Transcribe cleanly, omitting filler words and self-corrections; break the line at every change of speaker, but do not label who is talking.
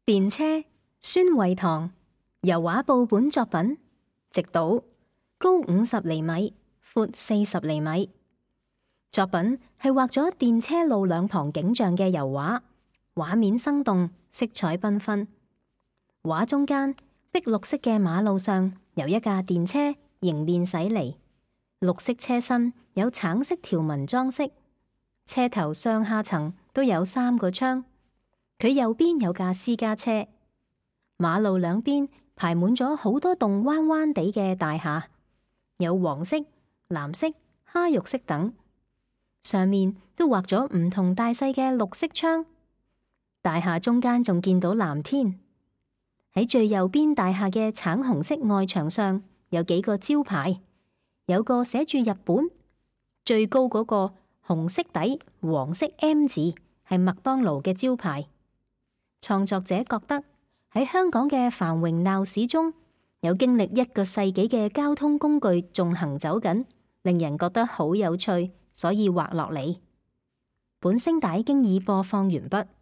電車，孫惠堂，油畫報本作品，直島，高50厘米，闊40厘米。作品係畫咗電車路兩旁景象嘅油畫，畫面生動，色彩繽紛。畫中間碧綠色嘅馬路上有一架電車迎面駛嚟，綠色車身有橙色條紋裝飾，車頭上下層都有3個窗。佢右邊有架私家車，馬路兩邊排滿咗好多棟彎彎地嘅大廈，有黃色、藍色、蝦肉色等，上面都畫咗唔同大細嘅綠色窗。大廈中間仲見到藍天。喺最右邊大廈嘅橙紅色外牆上有幾個招牌，有個寫住日本，最高嗰個紅色底黃色 M 字係麥當勞嘅招牌。創作者覺得喺香港嘅繁榮鬧市中，有經歷1個世紀嘅交通工具仲行走緊，令人覺得好有趣，所以畫落嚟。本聲帶經已播放完畢。